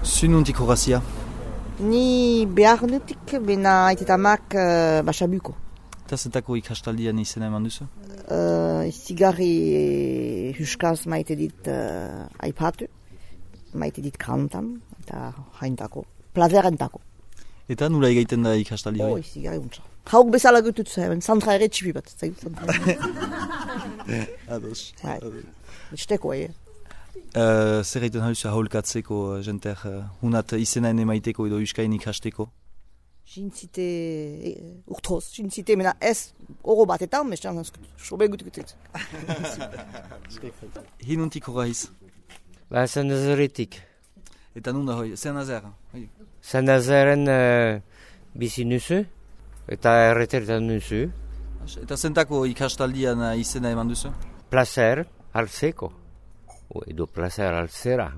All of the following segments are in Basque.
Zununtik horazia? Ni beharnetik, bena aitetamak Basabuko. Eta zentako ikastaldian izena eman duzu? Zigarri huskaz maite dit aipatu, maite dit kantan, eta haintako, plazerentako. Eta nula egiten da ikastaldi hori? Zigarri untsa. Hauk bezala gutut zuen, zantra ere txipi bat. Ados. Esteko, Zer egiten hauzu aholkatzeko jenter hunat izenaen emaiteko edo euskain ikasteko? Jintzite urtroz, jintzite, mena ez oro batetan, mestan sobe gutukutet. Hinuntik horreiz? Saint-Nazaretik. Eta nun da hoi, Saint-Nazaire? Saint-Nazaren bizi nuzu, eta erretertan nuzu. Eta zentako ikastaldian izena eman duzu? Placer altzeko, edo placer altzera.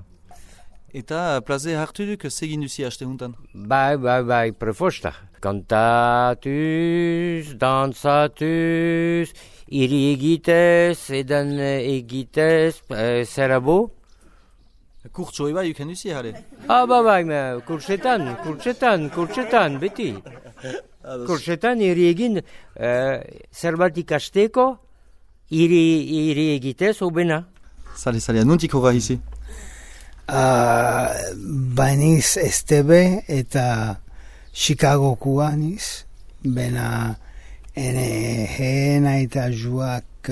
Eta plaze hartu duk zegin duzi haste huntan? Bai, prefosta. Kantatuz, dantzatuz, iri egitez, edan egitez, zerabo. Kurtso eba yuken duzi, jale? Bai, kurtsetan, beti. Kurtsetan iri egin zerbat ikasteko, iri egitez, obena. Sale, nuntik horra hizi? Baniz Estebe eta Chicagokua niz, bena hena eta juak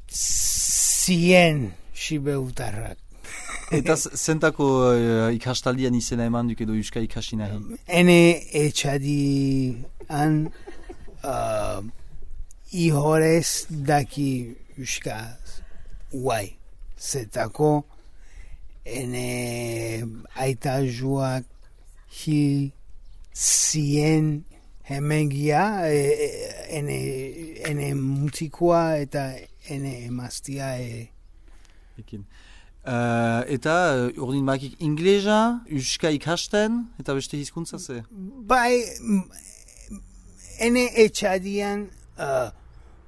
100 sibeutarrak. Eta zentako ikastaldian izena eman duk edo euska ikasi nahi? Ene etxadian ihorez daki euskaz guai. Zetako ene aita joak hil 100 hemengia ene mutikoa eta ene emaztia Ekin. Eta urdin bakik inglesa, euska ikasten, eta beste hizkuntza ze? Bai, ene etxadian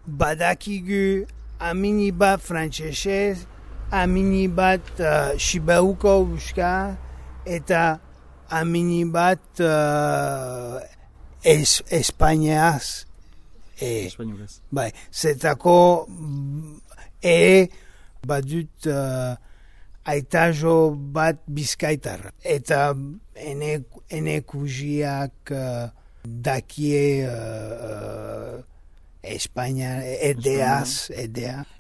badakigu amini bat frantsesez, amini bat Sibauko euska, eta amini bat Espainiaz. Espainiolez. Bai, zetako badut aitajo bat bizkaitar. Eta ene kujiak dakie Espainia edea.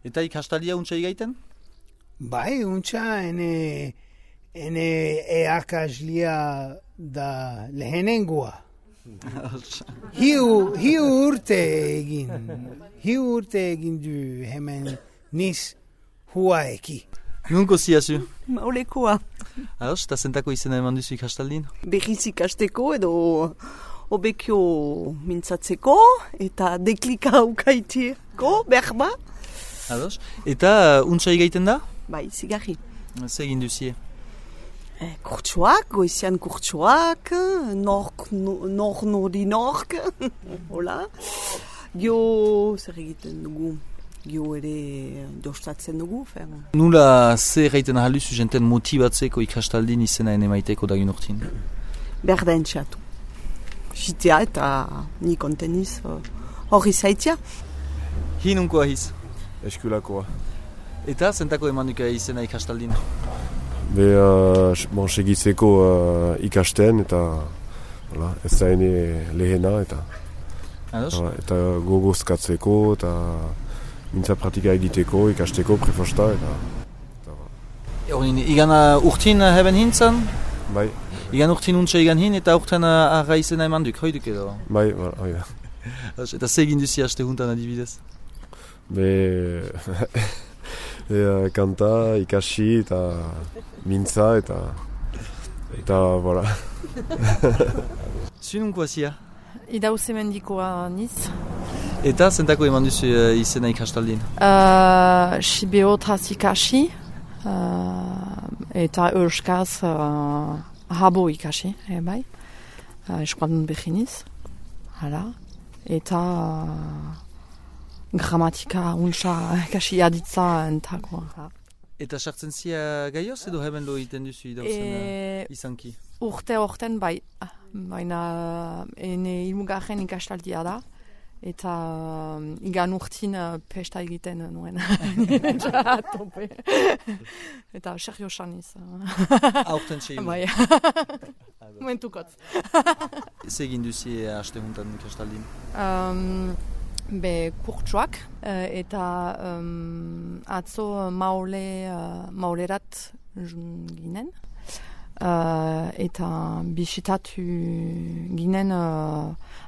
Eta ikastaldia untsa igaiten? Bai, untsa ene eakaslia da lehenengoa. Hiu urte egin du hemen niz hua eki. Nunko ziazu? Maulekoa. Ados, eta zentako izena eman duzu ikastaldin? Berriz ikasteko edo obekio mintzatzeko eta deklika aukaiteko, berba. Ados, eta untsa igaiten da? Bai, zigarri. Zer egin duzie? Kurtsuak, goizian kurtsuak, nork, hola. Gio, zer egiten dugu? Gio ere dostatzen dugu, fer. Nula zer egiten ahaluzu jenten motibatzeko ikastaldin izena emaiteko dagin urtin? Berden txatu. Jitea eta ni konteniz hori zaitia. Hinunko ahiz? Eskulakoa. Eta zentako eman duka izena ikastaldin? Segitzeko ikasten eta ez da lehena eta gogozkatzeko eta mintza pratika egiteko, ikasteko, prefosta eta Igan urtin heben hintzen? Bai. Igan urtin untsa igan hin eta urten arra izena eman duk, hoiduk edo? Bai, hoi da. Eta zegin duzi haste huntan adibidez? Kanta, ikasi eta mintza eta voilà. Zununko azia? Idauze mendikoa niz. Eta zentako eman duzu izena ikastaldin? Sibeotaz ikasi eta euskaz habo ikasi, bai. Eskualdun behiniz. Hala. Eta gramatika untsa ikasi aditza entako. Eta sartzen zia gaioz edo hemen lo egiten duzu idauzen izanki? Urten bai, baina ene ilmugarren ikastaldia da, eta igan urtin pesta egiten nuen. Tope. Eta Sergio Saniz. Aurten txein. Bai. Momentukot. Ze egin duzi haste juntan ikastaldin? Kurtsuak eta atzo maulerat ginen. Eta bisitatu ginen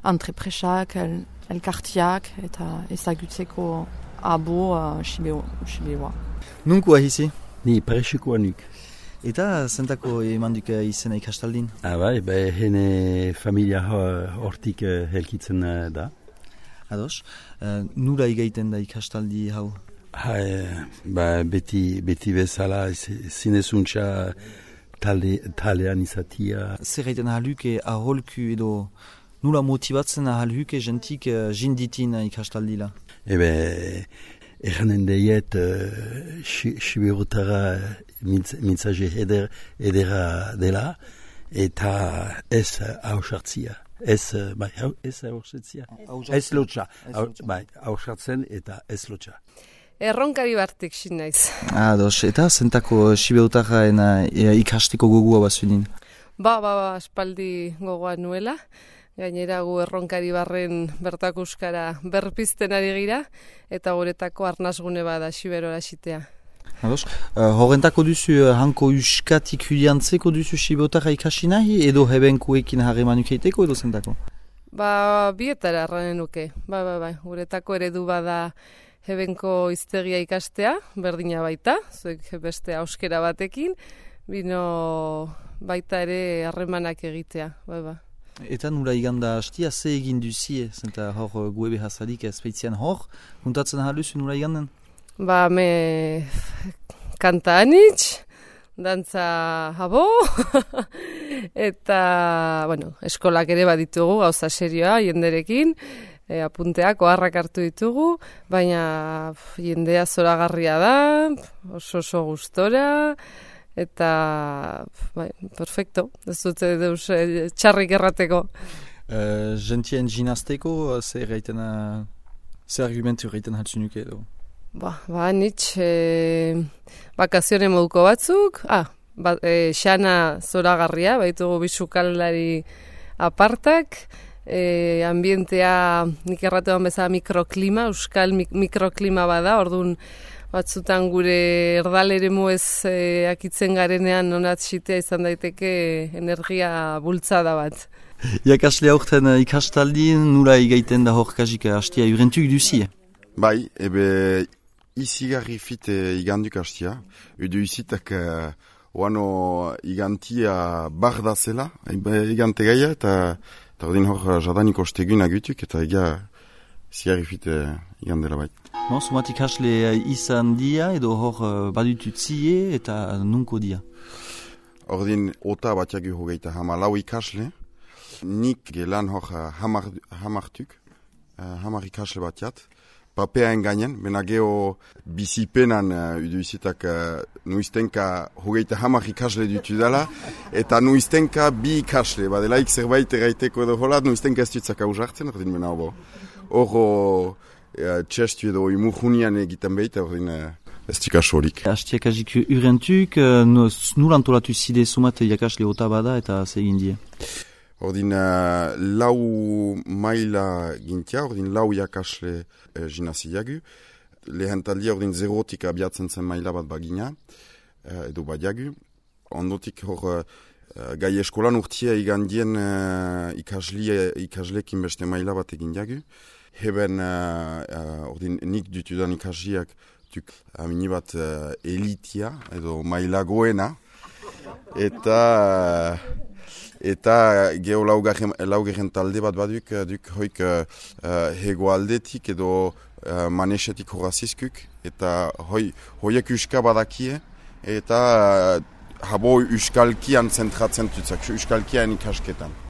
entrepresak, elkartiak eta ezagutzeko abo Sibeoa. Nunkua hizi? Ni Parexikoanik. Eta zentako emanduk izena ikastaldin? Bai, hene familia hortik helkitzen da. Ados, nura igaiten da ikastaldi hau? Beti bezala zinezuntza talean izatia. Zer gaiten ahalhuke aholku edo nula motibatzen ahalhuke jentik jinditin ikastaldila? Eranen deiet Siberotara mintzaje edera dela eta ez hausartzia. Ez hausartzia. Ez lotxa. Hausartzen eta ez lotxa. Erronkari bartik sin naiz. Ados, eta zentako Siberotara ikasteko gogua bazunin? Aspaldi gogoa nuela. Gainera gu erronkari barren bertako euskara berpizten ari gira, eta goretako arnazgune bada Siberora sitea. Ados, horrentako duzu hanko euskatik hudiantzeko duzu Siberotara ikasi nahi, edo hebenkuekin harremanuk eiteko edo zentako? Bietara arranen nuke. Guretako eredu bada hebenko hiztegia ikastea, berdina baita, zuek beste euskera batekin, bino baita ere harremanak egitea, Eta nula iganda hastia, ze egin duzie, zenta hor guebe hasadik ezpeitzian hor, juntatzen haluzu nula iganden? Me kanta anitz, dantza habo, eta, eskolak ere baditugu, gauza serioa, jenderekin, apunteak, oharrak hartu ditugu, baina jendea zoragarria da, oso gustora, eta, perfecto, ez dute deus txarrik errateko. Gentien ginazteko, ze argumentu egiten haltzu nuke edo? Nitz, bakazione moduko batzuk, xana zoragarria, baitugu bisukaldari apartak, ambientea nik erratuan bezala mikroklima, euskal mikroklima bada, orduan batzutan gure erdalere muez akitzen garenean onatxitea izan daiteke energia bultzada bat. Iakasle aurten ikastaldin, nula igaiten da hor kasik hastia urentuk duzie? Bai, izigarri fit iganduk hastia. Edo izitak oano igantia barda zela, igante gaia, eta ordin hor jadaniko ostegun agutuk, eta izigarri fit igandela bai. Sumat ikasle izan dia edo hor badutut zie eta nunko dia? Ordin ota batiagu hogeita lau ikasle, nik gelan hor hamartuk, hamar ikasle batiat, papeaen gainen, bena geho bizipenan uduizitak nuiztenka hogeita hamar ikasle dutu dela, eta nuiztenka bi ikasle, badelaik zerbait erraiteko edo holat, nuiztenka ez dutzak hausartzen, ordin bena hobo. Horo txestu edo imurjunian egiten behita, ordin ez tikasorik. Hastiak azik urentuk, nul antolatu zide sumat jakasle ota bada eta zegin die? Ordin lau maila gintia, ordin lau jakasle jinaziagu. Lehen taldia ordin zerotik abiatzen zen maila bat bagina, edo badiagu. Ondotik hor gai eskolan urtia igandien ikaslekin beste maila bat egin diagu. Heben ordin nik dutudan ikasiak amini bat elitia edo mailagoena eta geho laugarren talde bat baduk hoik hegoaldetik edo manesetik horazizkuk eta hoiek uska badakie eta habo uskalkian zentratzen tutzak, uskalkian ikasketan.